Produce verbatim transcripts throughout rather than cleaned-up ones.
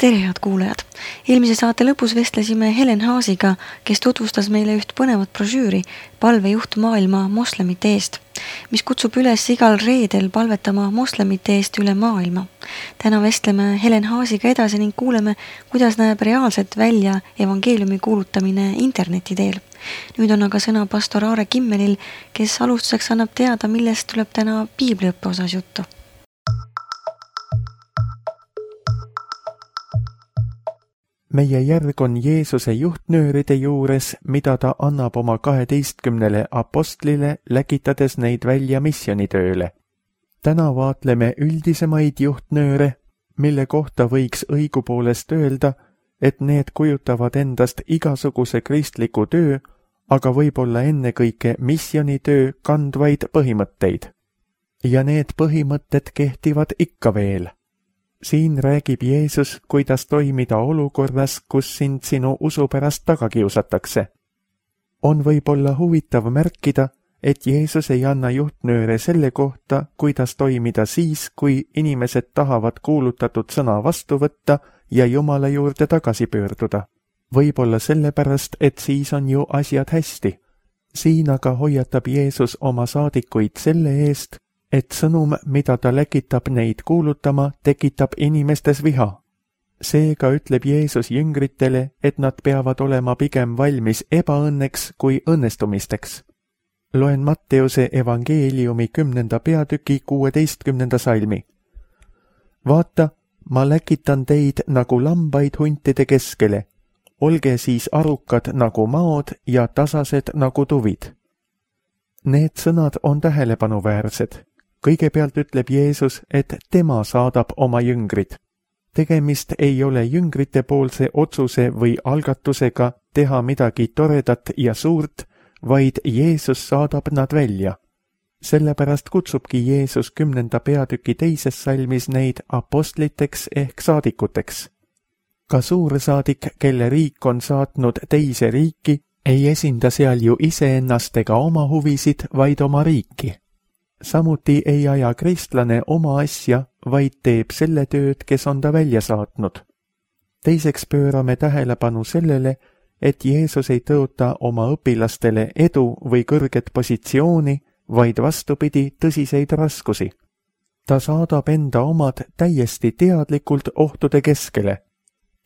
tere, head kuulajad! Eelmise saate lõpus vestlesime Helen Haasiga, kes tutvustas meile üht põnevat brošüüri Palvejuht maailma moslemite eest, mis kutsub üles igal reedel palvetama moslemite eest üle maailma. Täna vestleme Helen Haasiga edasi ning kuuleme, kuidas näeb reaalselt välja evangeeliumi kuulutamine interneti teel. Nüüd on aga sõna pastor Aare Kimmelil, kes alustuseks annab teada, millest tuleb täna piibliõppe osas juttu. Meie järg on Jeesuse juhtnööride juures, mida ta annab oma kaheteistkümnele apostlile, läkitades neid välja missionitööle. Täna vaatleme üldisemaid juhtnööre, mille kohta võiks õigupoolest öelda, et need kujutavad endast igasuguse kristliku töö, aga võib-olla ennekõike missionitöö kandvaid põhimõtteid. Ja need põhimõtted kehtivad ikka veel. Siin räägib Jeesus, kuidas toimida olukorras, kus sind sinu usu pärast taga kiusatakse. On võib-olla huvitav märkida, et Jeesus ei anna juhtnööre selle kohta, kuidas toimida siis, kui inimesed tahavad kuulutatud sõna vastu võtta ja Jumala juurde tagasi pöörduda. Võib-olla sellepärast, et siis on ju asjad hästi. Siin aga hoiatab Jeesus oma saadikuid selle eest, et sõnum, mida ta läkitab neid kuulutama, tekitab inimestes viha. Seega ütleb Jeesus jüngritele, et nad peavad olema pigem valmis ebaõnneks kui õnnestumisteks. Loen Matteuse evangeeliumi kümnenda peatüki kuueteistkümnenda salmi. Vaata, ma läkitan teid nagu lambaid huntide keskele. Olge siis arukad nagu maod ja tasased nagu tuvid. Need sõnad on tähelepanuväärsed. Kõigepealt ütleb Jeesus, et tema saadab oma jüngrid. Tegemist ei ole jüngrite poolse otsuse või algatusega teha midagi toredat ja suurt, vaid Jeesus saadab nad välja. Sellepärast kutsubki Jeesus kümnenda peatüki teises salmis neid apostliteks ehk saadikuteks. Ka suursaadik, kelle riik on saatnud teise riiki, ei esinda seal ju iseennast ega oma huvisid, vaid oma riiki. Samuti ei aja kristlane oma asja, vaid teeb selle tööd, kes on ta välja saatnud. Teiseks pöörame tähelepanu sellele, et Jeesus ei tõota oma õpilastele edu või kõrget positsiooni, vaid vastupidi tõsiseid raskusi. Ta saadab enda omad täiesti teadlikult ohtude keskele.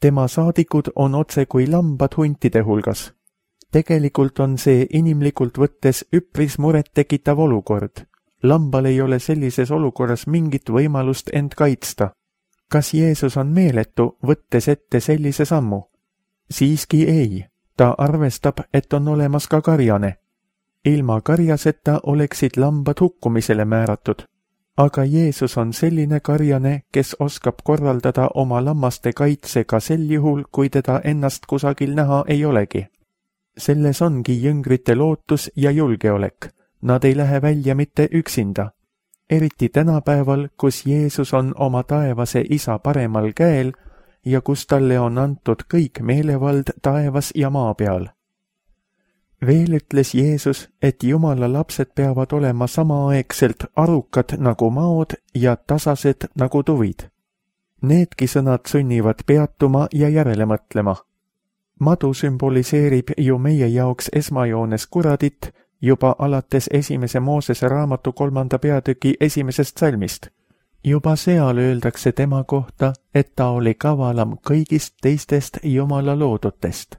Tema saadikud on otse kui lambad huntide hulgas. Tegelikult on see inimlikult võttes üpris muret tekitav olukord. Lambal ei ole sellises olukorras mingit võimalust end kaitsta. Kas Jeesus on meeletu, võttes ette sellise sammu? Siiski ei. Ta arvestab, et on olemas ka karjane. Ilma karjaseta oleksid lambad hukkumisele määratud. Aga Jeesus on selline karjane, kes oskab korraldada oma lammaste kaitse ka sel juhul, kui teda ennast kusagil näha ei olegi. Selles ongi jüngrite lootus ja julgeolek. Nad ei lähe välja mitte üksinda. Eriti tänapäeval, kus Jeesus on oma taevase isa paremal käel ja kus talle on antud kõik meelevald taevas ja maa peal. Veel ütles Jeesus, et Jumala lapsed peavad olema samaaegselt arukad nagu maod ja tasased nagu tuvid. Needki sõnad sunnivad peatuma ja järele mõtlema. Madu sümboliseerib ju meie jaoks esmajoones kuradit, juba alates esimese Moosese raamatu kolmanda peatüki esimesest salmist. Juba seal öeldakse tema kohta, et ta oli kavalam kõigist teistest Jumala loodutest.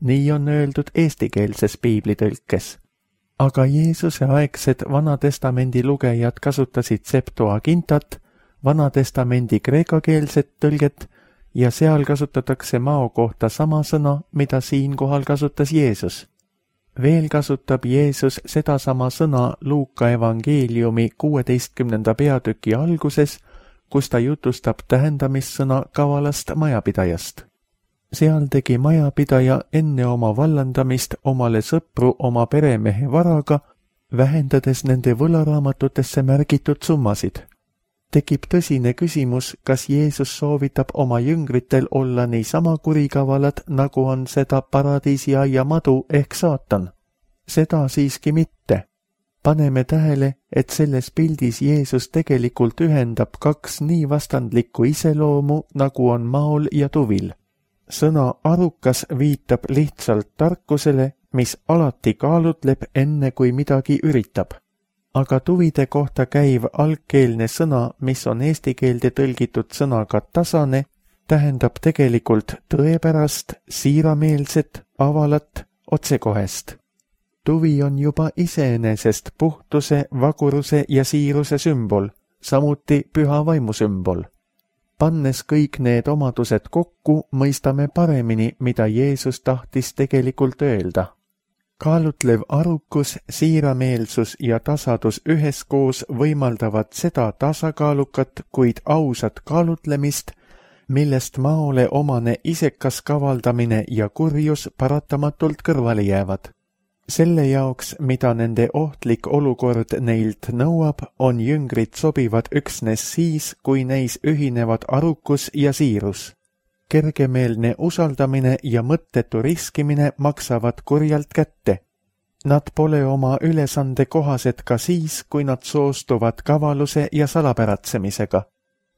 Nii on öeldud eestikeelses piiblitõlkes. Aga Jeesuse aegsed Vanatestamendi lugejad kasutasid Septuagintat, Vanatestamendi kreekakeelset tõlget ja seal kasutatakse mao kohta sama sõna, mida siinkohal kasutas Jeesus. Veel kasutab Jeesus sedasama sõna Luuka evangeeliumi kuueteistkümnenda peatüki alguses, kus ta jutustab tähendamissõna kavalast majapidajast. Seal tegi majapidaja enne oma vallandamist omale sõpru oma peremehe varaga, vähendades nende võlaraamatutesse märgitud summasid. Tekib tõsine küsimus, kas Jeesus soovitab oma jüngritel olla niisama kurikavalad, nagu on seda paradiisiaia madu ehk saatan. Seda siiski mitte. Paneme tähele, et selles pildis Jeesus tegelikult ühendab kaks nii vastandlikku iseloomu, nagu on maol ja tuvil. Sõna arukas viitab lihtsalt tarkusele, mis alati kaalutleb enne, kui midagi üritab. Aga tuvide kohta käiv algkeelne sõna, mis on eesti keelde tõlgitud sõnaga tasane, tähendab tegelikult tõepärast, siirameelset, avalat, otsekohest. Tuvi on juba iseenesest puhtuse, vaguruse ja siiruse sümbol, samuti püha vaimu sümbol. Pannes kõik need omadused kokku, mõistame paremini, mida Jeesus tahtis tegelikult öelda. Kaalutlev arukus, siirameelsus ja tasadus üheskoos võimaldavad seda tasakaalukat, kuid ausat kaalutlemist, millest maole omane isekas kavaldamine ja kurjus paratamatult kõrvale jäävad. Selle jaoks, mida nende ohtlik olukord neilt nõuab, on jüngrid sobivad üksnes siis, kui neis ühinevad arukus ja siirus. Kergemeelne usaldamine ja mõttetu riskimine maksavad kurjalt kätte. Nad pole oma ülesande kohased ka siis, kui nad soostuvad kavaluse ja salapäratsemisega.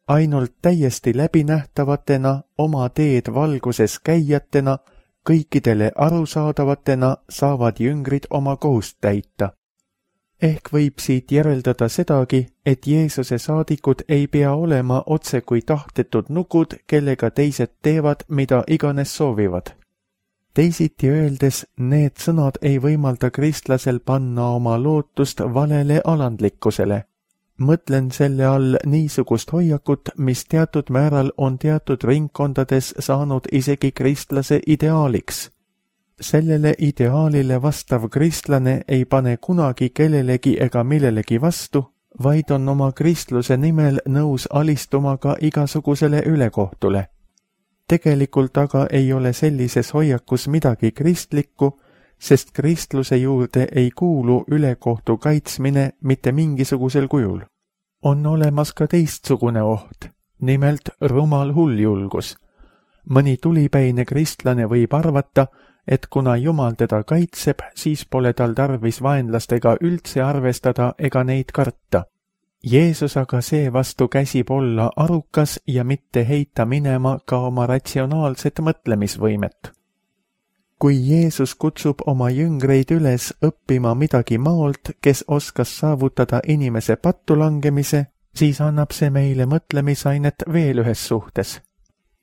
Ainult täiesti läbinähtavatena, oma teed valguses käijatena, kõikidele arusaadavatena saavad jüngrid oma kohust täita. Ehk võib siit järeldada sedagi, et Jeesuse saadikud ei pea olema otse kui tahtetud nukud, kellega teised teevad, mida iganes soovivad. Teisiti öeldes, need sõnad ei võimalda kristlasel panna oma lootust valele alandlikkusele. Mõtlen selle all niisugust hoiakut, mis teatud määral on teatud ringkondades saanud isegi kristlase ideaaliks. Sellele ideaalile vastav kristlane ei pane kunagi kellelegi ega millelegi vastu, vaid on oma kristluse nimel nõus alistuma ka igasugusele ülekohtule. Tegelikult aga ei ole sellises hoiakus midagi kristlikku, sest kristluse juurde ei kuulu ülekohtu kaitsmine mitte mingisugusel kujul. On olemas ka teistsugune oht, nimelt rumal hulljulgus. Mõni tulipäine kristlane võib arvata, et kuna Jumal teda kaitseb, siis pole tal tarvis vaenlastega üldse arvestada ega neid karta. Jeesus aga seevastu käsib olla arukas ja mitte heita minema ka oma ratsionaalset mõtlemisvõimet. Kui Jeesus kutsub oma jüngreid üles õppima midagi maolt, kes oskas saavutada inimese pattu langemise, siis annab see meile mõtlemisainet veel ühes suhtes.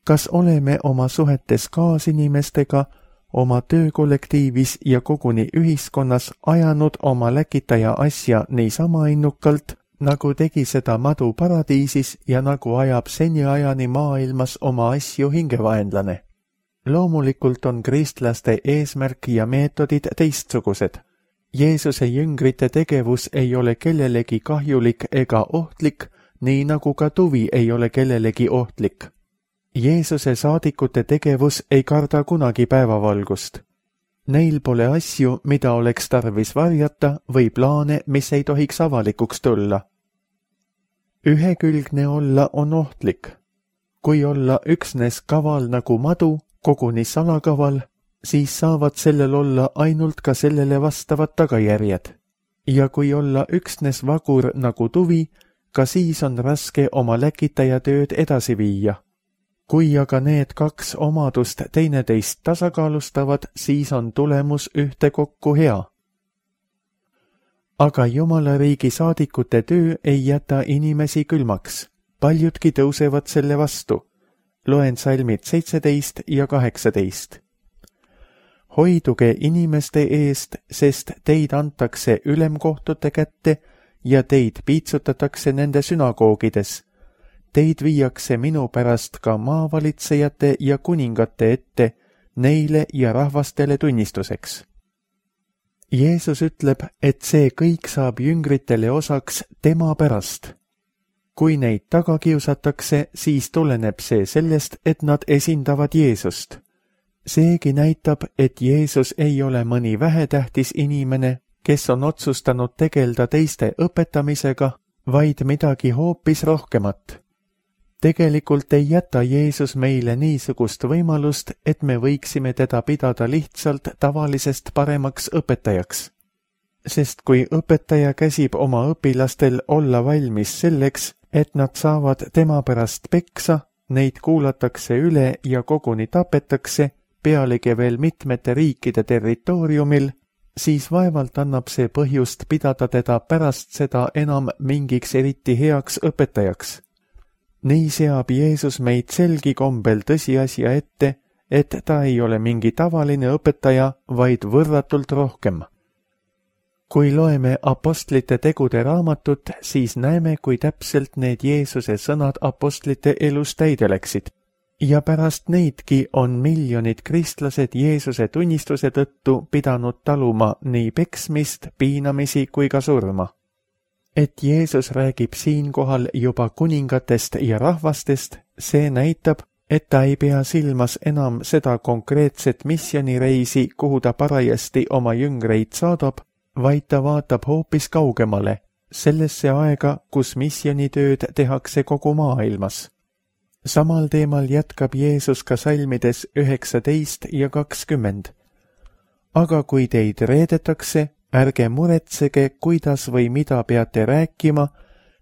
Kas oleme oma suhetes kaasinimestega, oma töökollektiivis ja koguni ühiskonnas ajanud oma läkitaja asja niisama innukalt, nagu tegi seda madu paradiisis ja nagu ajab seniajani maailmas oma asju hingevaenlane? Loomulikult on kristlaste eesmärk ja meetodid teistsugused. Jeesuse jüngrite tegevus ei ole kellelegi kahjulik ega ohtlik, nii nagu ka tuvi ei ole kellelegi ohtlik. Jeesuse saadikute tegevus ei karda kunagi päevavalgust. Neil pole asju, mida oleks tarvis varjata või plaane, mis ei tohiks avalikuks tulla. Ühekülgne olla on ohtlik. Kui olla üksnes kaval nagu madu, koguni salakaval, siis saavad sellel olla ainult ka sellele vastavad tagajärjed. Ja kui olla üksnes vagur nagu tuvi, ka siis on raske oma läkitaja tööd edasi viia. Kui aga need kaks omadust teineteist tasakaalustavad, siis on tulemus ühtekokku hea. Aga Jumala riigi saadikute töö ei jäta inimesi külmaks. Paljudki tõusevad selle vastu. Loen salmid seitseteist ja kaheksateist. Hoiduge inimeste eest, sest teid antakse ülemkohtute kätte ja teid piitsutatakse nende sünagoogides. Teid viiakse minu pärast ka maavalitsejate ja kuningate ette, neile ja rahvastele tunnistuseks. Jeesus ütleb, et see kõik saab jüngritele osaks tema pärast. Kui neid taga kiusatakse, siis tuleneb see sellest, et nad esindavad Jeesust. Seegi näitab, et Jeesus ei ole mõni vähetähtis inimene, kes on otsustanud tegelda teiste õpetamisega, vaid midagi hoopis rohkemat. Tegelikult ei jäta Jeesus meile niisugust võimalust, et me võiksime teda pidada lihtsalt tavalisest paremaks õpetajaks. Sest kui õpetaja käsib oma õpilastel olla valmis selleks, et nad saavad tema pärast peksa, neid kuulatakse üle ja koguni tapetakse, pealegi veel mitmete riikide territooriumil, siis vaevalt annab see põhjust pidada teda pärast seda enam mingiks eriti heaks õpetajaks. Nii seab Jeesus meid selgi kombel tõsiasja ette, et ta ei ole mingi tavaline õpetaja, vaid võrratult rohkem. Kui loeme apostlite tegude raamatut, siis näeme, kui täpselt need Jeesuse sõnad apostlite elus täide läksid. Ja pärast neidki on miljonid kristlased Jeesuse tunnistuse tõttu pidanud taluma nii peksmist, piinamisi kui ka surma. Et Jeesus räägib siinkohal juba kuningatest ja rahvastest, see näitab, et ta ei pea silmas enam seda konkreetset missionireisi, kuhu ta parajasti oma jüngreid saadab, vaid ta vaatab hoopis kaugemale, sellesse aega, kus missionitööd tehakse kogu maailmas. Samal teemal jätkab Jeesus ka salmides üheksateist ja kakskümmend. Aga kui teid reedetakse, ärge muretsege, kuidas või mida peate rääkima,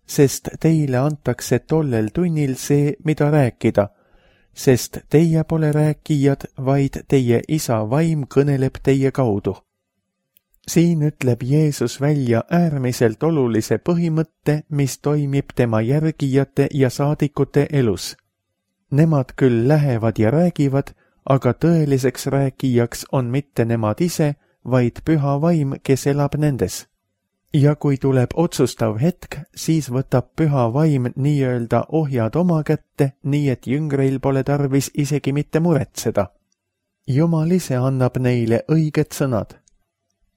sest teile antakse tollel tunnil see, mida rääkida, sest teie pole rääkijad, vaid teie isa vaim kõneleb teie kaudu. Siin ütleb Jeesus välja äärmiselt olulise põhimõtte, mis toimib tema järgijate ja saadikute elus. Nemad küll lähevad ja räägivad, aga tõeliseks rääkijaks on mitte nemad ise, vaid püha vaim, kes elab nendes. Ja kui tuleb otsustav hetk, siis võtab püha vaim nii-öelda ohjad oma kätte, nii et jüngreil pole tarvis isegi mitte muretseda. Jumal ise annab neile õiged sõnad.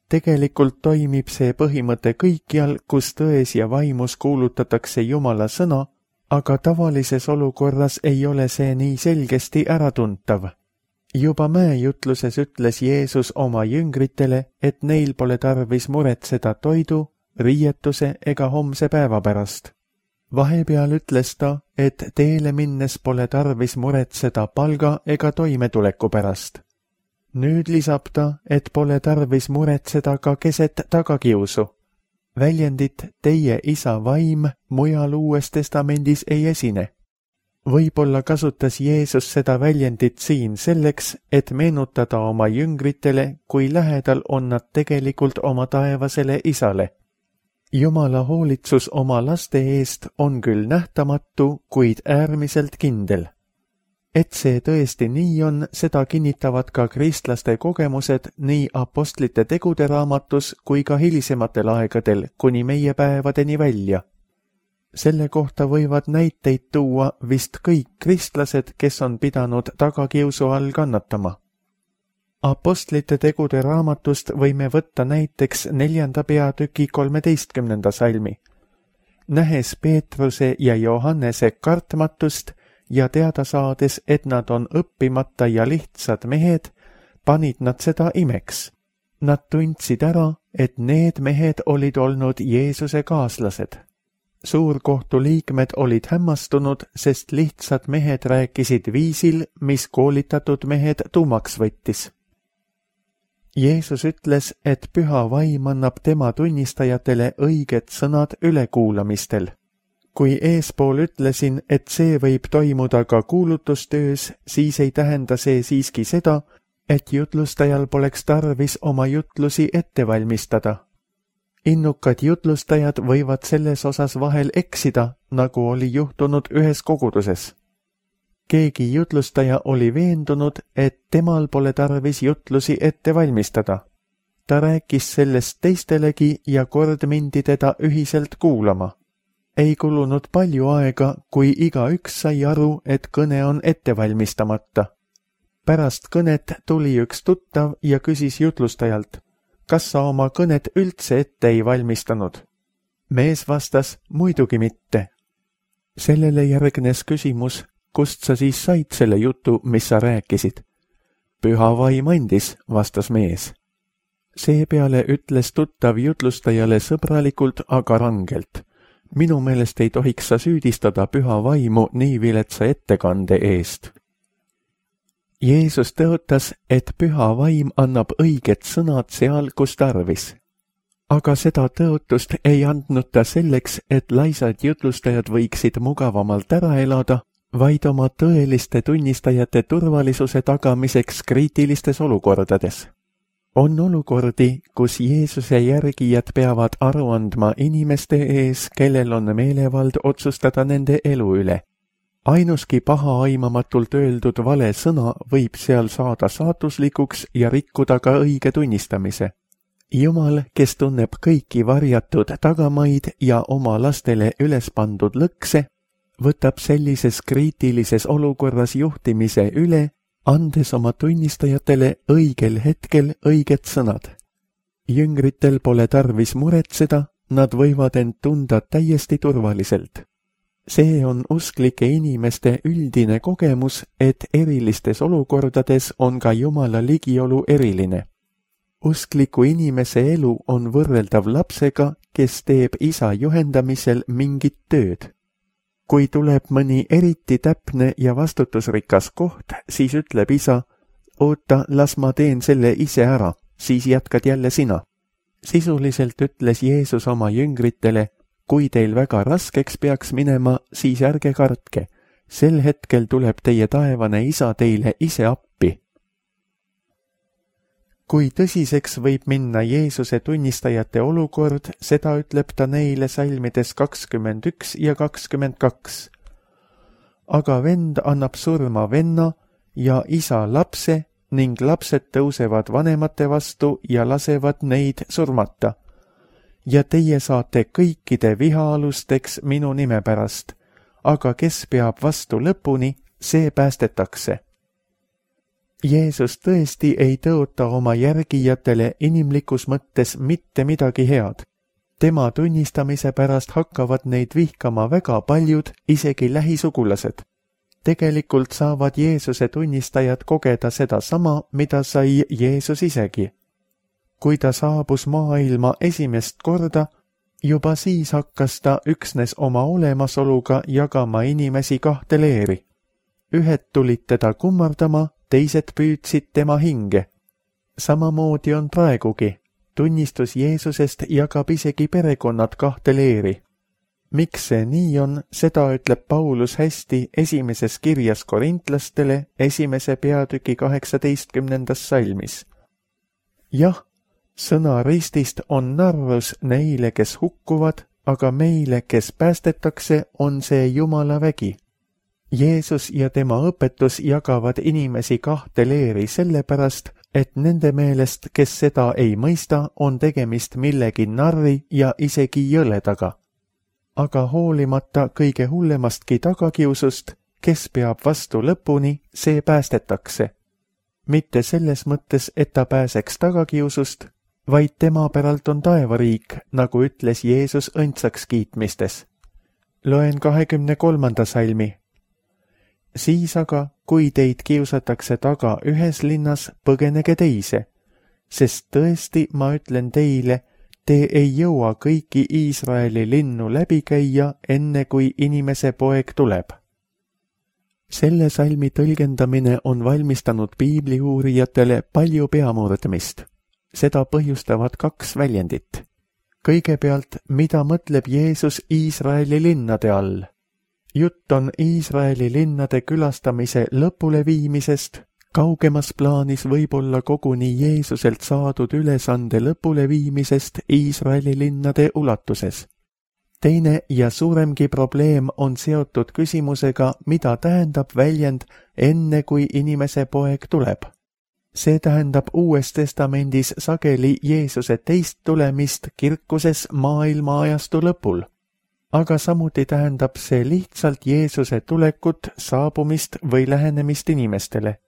Tegelikult toimib see põhimõte kõikjal, kus tões ja vaimus kuulutatakse Jumala sõna, aga tavalises olukorras ei ole see nii selgesti äratuntav. Juba mäejutluses ütles Jeesus oma jüngritele, et neil pole tarvis muretseda toidu, riietuse ega homse päeva pärast. Vahepeal ütles ta, et teele minnes pole tarvis muretseda palga ega toimetuleku pärast. Nüüd lisab ta, et pole tarvis muretseda ka keset tagakiusu. Väljendit teie isa vaim mujal Uues Testamendis ei esine. Võib-olla kasutas Jeesus seda väljendit siin selleks, et meenutada oma jüngritele, kui lähedal on nad tegelikult oma taevasele isale. Jumala hoolitsus oma laste eest on küll nähtamatu, kuid äärmiselt kindel. Et see tõesti nii on, seda kinnitavad ka kristlaste kogemused nii apostlite tegude raamatus kui ka hilisematel aegadel kuni meie päevadeni välja. Selle kohta võivad näiteid tuua vist kõik kristlased, kes on pidanud tagakiusu all kannatama. Apostlite tegude raamatust võime võtta näiteks neljanda peatüki kolmeteistkümnenda salmi. Nähes Peetruse ja Johannese kartmatust ja teada saades, et nad on õppimata ja lihtsad mehed, panid nad seda imeks. Nad tundsid ära, et need mehed olid olnud Jeesuse kaaslased. Suurkohtu liikmed olid hämmastunud, sest lihtsad mehed rääkisid viisil, mis koolitatud mehed tuumaks võttis. Jeesus ütles, et püha vaim annab tema tunnistajatele õiged sõnad ülekuulamistel. Kui eespool ütlesin, et see võib toimuda ka kuulutustöös, siis ei tähenda see siiski seda, et jutlustajal poleks tarvis oma jutlusi ette valmistada. Innukad jutlustajad võivad selles osas vahel eksida, nagu oli juhtunud ühes koguduses. Keegi jutlustaja oli veendunud, et temal pole tarvis jutlusi ette valmistada. Ta rääkis sellest teistelegi ja kord mindi teda ühiselt kuulama. Ei kulunud palju aega, kui igaüks sai aru, et kõne on ette valmistamata. Pärast kõnet tuli üks tuttav ja küsis jutlustajalt, kas sa oma kõnet üldse ette ei valmistanud? Mees vastas, muidugi mitte. Sellele järgnes küsimus, kust sa siis said selle jutu, mis sa rääkisid? Püha vaim andis, vastas mees. Seepeale ütles tuttav jutlustajale sõbralikult, aga rangelt. Minu meelest ei tohiks sa süüdistada püha vaimu nii viletsa ettekande eest. Jeesus tõotas, et püha vaim annab õiged sõnad seal, kus tarvis. aga seda tõotust ei andnud ta selleks, et laisad jutlustajad võiksid mugavamalt ära elada, vaid oma tõeliste tunnistajate turvalisuse tagamiseks kriitilistes olukordades. On olukordi, kus Jeesuse järgijad peavad aru andma inimeste ees, kellel on meelevald otsustada nende elu üle. Ainuski paha aimamatult öeldud vale sõna võib seal saada saatuslikuks ja rikkuda ka õige tunnistamise. Jumal, kes tunneb kõiki varjatud tagamaid ja oma lastele üles pandud lõkse, võtab sellises kriitilises olukorras juhtimise üle, andes oma tunnistajatele õigel hetkel õiged sõnad. Jüngritel pole tarvis muretseda, nad võivad end tunda täiesti turvaliselt. See on usklike inimeste üldine kogemus, et erilistes olukordades on ka Jumala ligiolu eriline. Uskliku inimese elu on võrreldav lapsega, kes teeb isa juhendamisel mingit tööd. Kui tuleb mõni eriti täpne ja vastutusrikas koht, siis ütleb isa, oota, las ma teen selle ise ära, siis jätkad jälle sina. Sisuliselt ütles Jeesus oma jüngritele, kui teil väga raskeks peaks minema, siis ärge kartke. Sel hetkel tuleb teie taevane isa teile ise appi. Kui tõsiseks võib minna Jeesuse tunnistajate olukord, seda ütleb ta neile salmides kakskümmend üks ja kakskümmend kaks. Aga vend annab surma venna ja isa lapse ning lapsed tõusevad vanemate vastu ja lasevad neid surmata. Ja teie saate kõikide vihaalusteks minu nime pärast, aga kes peab vastu lõpuni, see päästetakse. Jeesus tõesti ei tõota oma järgijatele inimlikus mõttes mitte midagi head. Tema tunnistamise pärast hakkavad neid vihkama väga paljud, isegi lähisugulased. Tegelikult saavad Jeesuse tunnistajad kogeda seda sama, mida sai Jeesus isegi. Kui ta saabus maailma esimest korda, juba siis hakkas ta üksnes oma olemasoluga jagama inimesi kahte leeri. Ühed tulid teda kummardama, teised püüdsid tema hinge. Samamoodi on praegugi. Tunnistus Jeesusest jagab isegi perekonnad kahte leeri. Miks see nii on, seda ütleb Paulus hästi esimeses kirjas korintlastele esimese peatüki kaheksateistkümnendas salmis. Jah, sõna ristist on narrus neile, kes hukkuvad, aga meile, kes päästetakse, on see Jumala vägi. Jeesus ja tema õpetus jagavad inimesi kahte leeri sellepärast, et nende meelest, kes seda ei mõista, on tegemist millegi narri ja isegi jõledaga. Aga hoolimata kõige hullemastki tagakiusust, kes peab vastu lõpuni, see päästetakse. Mitte selles mõttes, et ta pääseks tagakiusust, vaid tema päralt on taevariik, nagu ütles Jeesus õndsaks kiitmistes. Loen kahekümne kolmanda salmi. Siis aga, kui teid kiusatakse taga ühes linnas, põgenege teise, sest tõesti ma ütlen teile, te ei jõua kõiki Iisraeli linnu läbi käia, enne kui inimese poeg tuleb. Selle salmi tõlgendamine on valmistanud piibliuurijatele palju peamurdmist. Seda põhjustavad kaks väljendit. Kõigepealt, mida mõtleb Jeesus Iisraeli linnade all? Jutt on Iisraeli linnade külastamise lõpuleviimisest, kaugemas plaanis võib-olla koguni Jeesuselt saadud ülesande lõpuleviimisest Iisraeli linnade ulatuses. Teine ja suuremgi probleem on seotud küsimusega, mida tähendab väljend enne kui inimese poeg tuleb. See tähendab Uues Testamendis sageli Jeesuse teist tulemist kirkuses maailma ajastu lõpul. Aga samuti tähendab see lihtsalt Jeesuse tulekut, saabumist või lähenemist inimestele.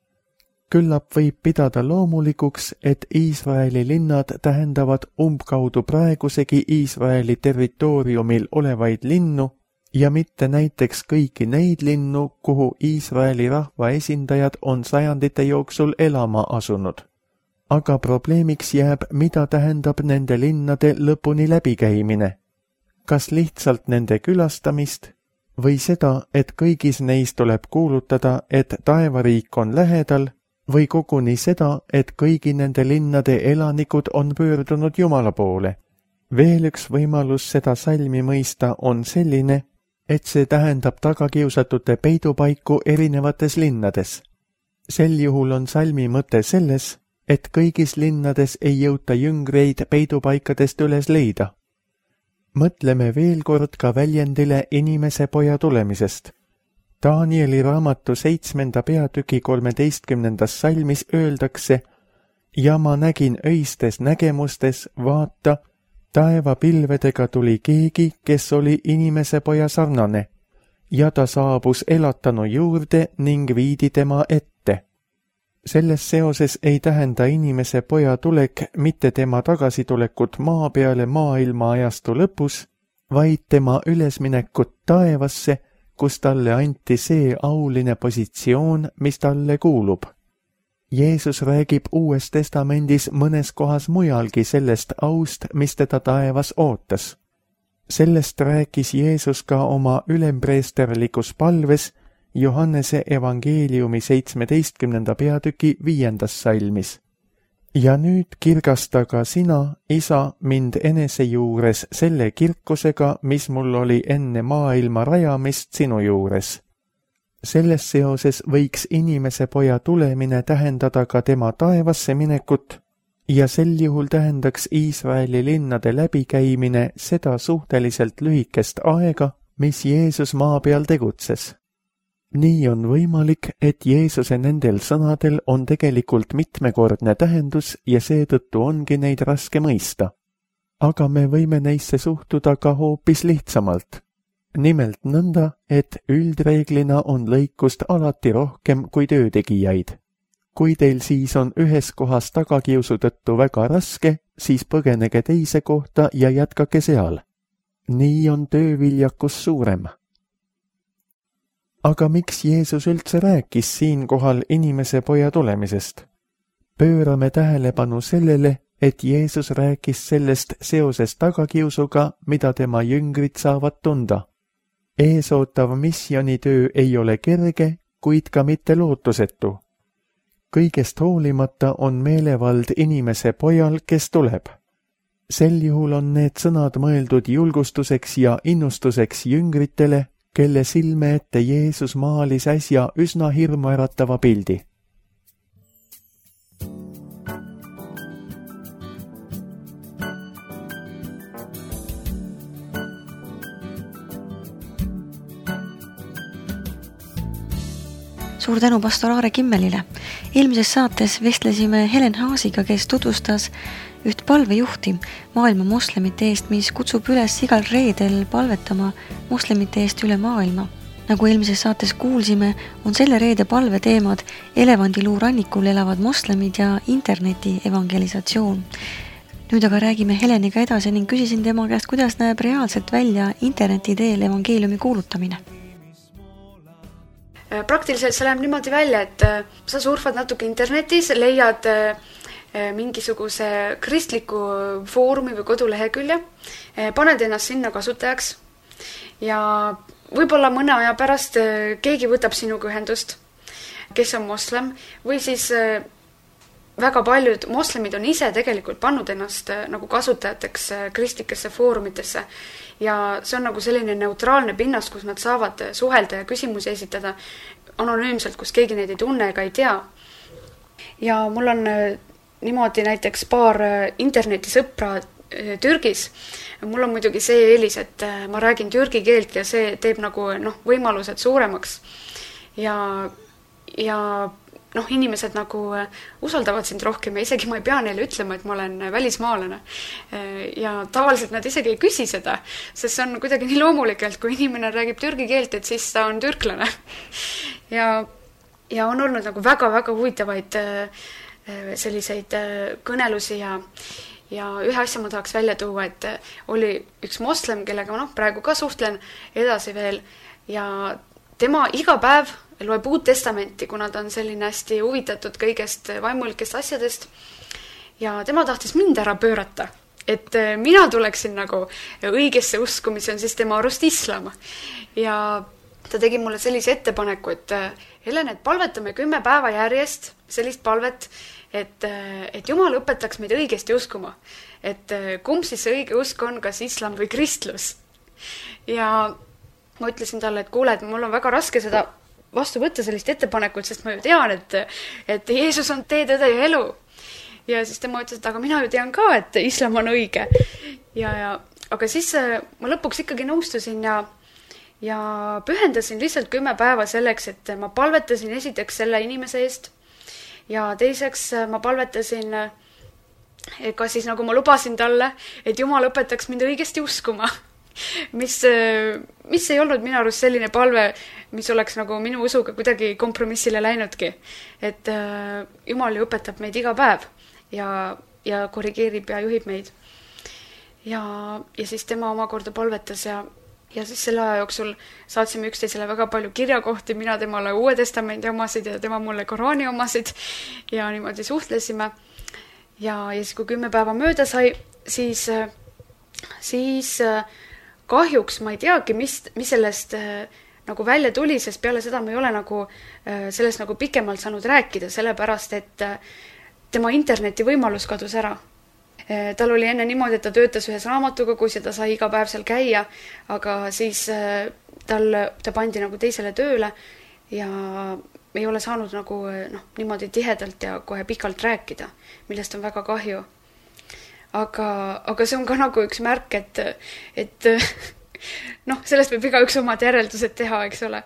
Küllap võib pidada loomulikuks, et Iisraeli linnad tähendavad umbkaudu praegusegi Iisraeli territooriumil olevaid linnu ja mitte näiteks kõiki neid linnu, kuhu Iisraeli rahva esindajad on sajandite jooksul elama asunud. Aga probleemiks jääb, mida tähendab nende linnade lõpuni läbikäimine. Kas lihtsalt nende külastamist või seda, et kõigis neis tuleb kuulutada, et taevariik on lähedal, või koguni seda, et kõigi nende linnade elanikud on pöördunud Jumala poole. Veel üks võimalus seda salmi mõista on selline, et see tähendab tagakiusatute peidupaiku erinevates linnades. Sel juhul on salmi mõte selles, et kõigis linnades ei jõuta jüngreid peidupaikadest üles leida. Mõtleme veel kord ka väljendile inimese poja tulemisest. Danieli raamatu seitsmenda peatüki kolmeteistkümnendas salmis öeldakse: ja ma nägin öistes nägemustes, vaata, taevapilvedega tuli keegi, kes oli inimese poja sarnane, ja ta saabus elatanu juurde ning viidi tema ette. Selles seoses ei tähenda inimese poja tulek mitte tema tagasitulekut maa peale maailma ajastu lõpus, vaid tema ülesminekut taevasse, kus talle anti see auline positsioon, mis talle kuulub. Jeesus räägib Uues Testamendis mõnes kohas mujalgi sellest aust, mis teda taevas ootas. Sellest rääkis Jeesus ka oma ülempreesterlikus palves Johannese evangeeliumi seitsmeteistkümnenda peatüki viiendas salmis. Ja nüüd kirgasta ka sina, isa, mind enese juures selle kirkusega, mis mul oli enne maailma rajamist sinu juures. Selles seoses võiks inimese poja tulemine tähendada ka tema taevasse minekut ja sel juhul tähendaks Iisraeli linnade läbikäimine seda suhteliselt lühikest aega, mis Jeesus maa peal tegutses. Nii on võimalik, et Jeesuse nendel sõnadel on tegelikult mitmekordne tähendus ja seetõttu ongi neid raske mõista. Aga me võime neisse suhtuda ka hoopis lihtsamalt. Nimelt nõnda, et üldreeglina on lõikust alati rohkem kui töötegijaid. Kui teil siis on ühes kohas tagakiusu tõttu väga raske, siis põgenege teise kohta ja jätkake seal. Nii on tööviljakus suurem. Aga miks Jeesus üldse rääkis siinkohal inimese poja tulemisest? Pöörame tähelepanu sellele, et Jeesus rääkis sellest seoses tagakiusuga, mida tema jüngrid saavad tunda. Eesootav missionitöö ei ole kerge, kuid ka mitte lootusetu. Kõigest hoolimata on meelevald inimese pojal, kes tuleb. Sel juhul on need sõnad mõeldud julgustuseks ja innustuseks jüngritele, kelle silme ette Jeesus maalis äsja üsna hirmuäratava pildi. Suur tänu pastor Aare Kimmelile. Eelmises saates vestlesime Helen Haasiga, kes tutvustas üht palvejuhti maailma moslemite eest, mis kutsub üles igal reedel palvetama moslemite eest üle maailma. Nagu eelmises saates kuulsime, on selle reede palve teemad elevandiluu rannikul elavad moslemid ja interneti evangelisatsioon. Nüüd aga räägime Heleniga edasi ning küsisin tema käest, kuidas näeb reaalselt välja interneti teel evangeeliumi kuulutamine. Praktiliselt see läheb niimoodi välja, et sa surfad natuke internetis, leiad mingisuguse kristliku foorumi või kodulehekülje, paned ennast sinna kasutajaks ja võib-olla mõne aja pärast keegi võtab sinuga ühendust, kes on moslem, või siis väga paljud moslemid on ise tegelikult pannud ennast nagu kasutajateks kristlikesse foorumitesse ja see on nagu selline neutraalne pinnas, kus nad saavad suhelda ja küsimusi esitada anonüümselt, kus keegi neid ei tunne ega ei tea. Ja mul on niimoodi näiteks paar internetisõpra Türgis. Mul on muidugi see eelis, et ma räägin türgi keelt ja see teeb nagu noh, võimalused suuremaks. Ja, ja noh, inimesed nagu usaldavad sind rohkem ja isegi ma ei pea neile ütlema, et ma olen välismaalane. Ja tavaliselt nad isegi ei küsi seda, sest see on kuidagi nii loomulikelt, kui inimene räägib türgi keelt, et siis ta on türklane. Ja, ja on olnud nagu väga-väga huvitavaid selliseid kõnelusi ja, ja ühe asja ma tahaks välja tuua, et oli üks moslem, kellega ma noh, praegu ka suhtlen edasi veel ja tema iga päev loeb Uut Testamenti, kuna ta on selline hästi huvitatud kõigest vaimulikest asjadest ja tema tahtis mind ära pöörata, et mina tuleksin nagu õigesse usku, mis on siis tema arust islam. Ja ta tegi mulle sellise ettepaneku, et Helen, et palvetame kümme päeva järjest sellist palvet et, et Jumal õpetaks meid õigesti uskuma. Et kumb siis see õige usk on, kas islam või kristlus. Ja ma ütlesin talle, et kuule, et mul on väga raske seda vastu võtta sellist ettepanekut, sest ma ju tean, et, et Jeesus on tee, tõde ja elu. Ja siis tema ütles, et aga mina ju tean ka, et islam on õige. Ja, ja, aga siis ma lõpuks ikkagi nõustusin ja, ja pühendasin lihtsalt kümme päeva selleks, et ma palvetasin esiteks selle inimese eest ja teiseks ma palvetasin, ka siis nagu ma lubasin talle, et Jumal õpetaks mind õigesti uskuma. Mis, mis ei olnud minu arust selline palve, mis oleks nagu minu usuga kuidagi kompromissile läinudki. Et äh, Jumal ju õpetab meid iga päev ja, ja korrigeerib ja juhib meid. Ja, ja siis tema omakorda palvetas ja, ja siis selle aja jooksul saatsime üksteisele väga palju kirjakohti, mina temale Uue Testamendi omasid ja tema mulle Koraani omasid ja niimoodi suhtlesime. Ja, ja siis kui kümme päeva mööda sai, siis, siis kahjuks ma ei teagi, mis, mis sellest äh, nagu välja tuli, sest peale seda ma ei ole nagu, äh, sellest nagu pikemalt saanud rääkida, sellepärast, et äh, tema interneti võimalus kadus ära. Äh, tal oli enne niimoodi, et ta töötas ühes raamatukogus ja ta sai iga päev seal käia, aga siis äh, tal, ta pandi nagu teisele tööle ja ei ole saanud nagu noh, niimoodi tihedalt ja kohe pikalt rääkida, millest on väga kahju. Aga, aga see on ka nagu üks märk, et, et noh, sellest võib iga üks omad järeldused teha, eks ole.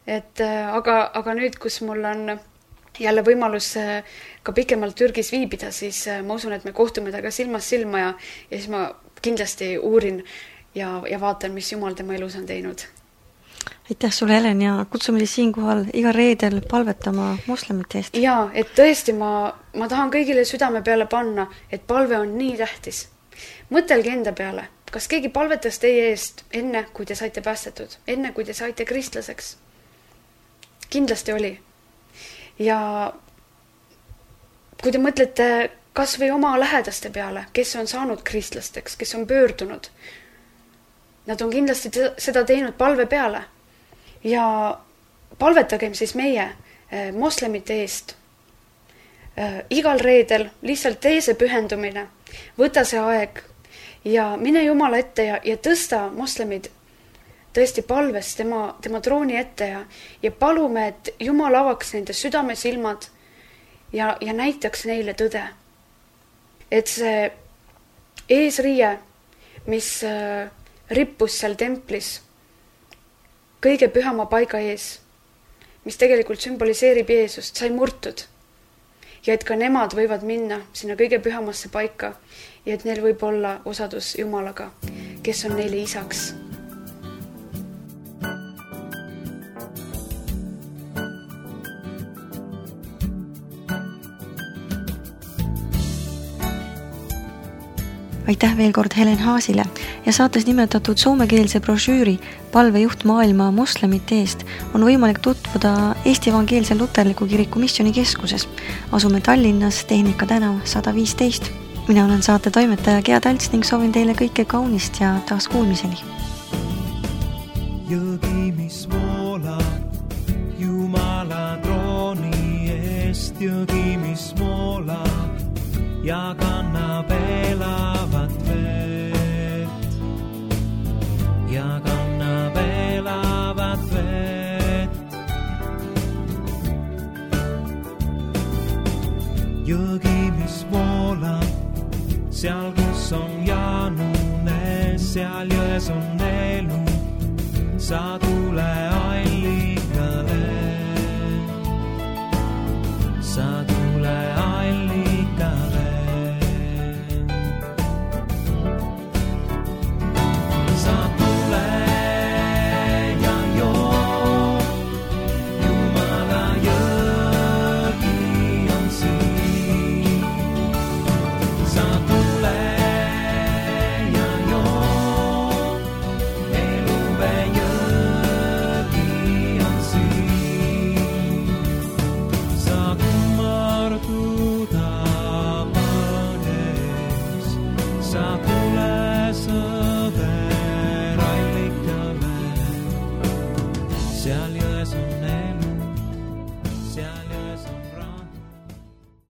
Et, aga, aga nüüd, kus mul on jälle võimalus ka pikemalt Türgis viibida, siis ma usun, et me kohtume taga silmas silma ja, ja siis ma kindlasti uurin ja, ja vaatan, mis Jumal tema elus on teinud. Aitäh sulle, Helen, ja kutsume siis siinkohal iga reedel palvetama moslemite eest. Jaa, et tõesti ma, ma tahan kõigile südame peale panna, et palve on nii tähtis. Mõtelge enda peale, kas keegi palvetas teie eest enne, kui te saite päästetud, enne, kui te saite kristlaseks? Kindlasti oli. Ja kui te mõtlete kas või oma lähedaste peale, kes on saanud kristlasteks, kes on pöördunud, nad on kindlasti seda teinud palve peale. Ja palvetagem siis meie eh, moslemite eest. Eh, igal reedel lihtsalt tee see pühendumine, võta see aeg ja mine Jumala ette ja, ja tõsta moslemid tõesti palves tema, tema trooni ette ja, ja palume, et Jumal avaks nende südame silmad ja, ja näitaks neile tõde. Et see eesriie, mis eh, rippus seal templis kõige pühama paiga ees, mis tegelikult sümboliseerib Jeesust, sai murtud. Ja et ka nemad võivad minna sinna kõige pühamasse paika ja et neil võib olla osadus Jumalaga, kes on neile isaks. Aitäh veel kord Helen Haasile ja saates nimetatud soomekeelse brošüüri Palvejuht maailma moslemite eest on võimalik tutvuda Eesti Evangeelse Luterliku Kiriku Missioonikeskuses. Asume Tallinnas Tehnika tänav sada viisteist. Mina olen saate toimetaja Gea Talts ning soovin teile kõike kaunist ja taas kuulmiseni. Jõgi, mis voolab Jumala trooni eest, jõgi, mis voolab ja kannab elavat vett. Ja kannab elavat vett. Jõgi, mis voolab, seal kus on Jaanune, seal jões on elu, sa tule aina.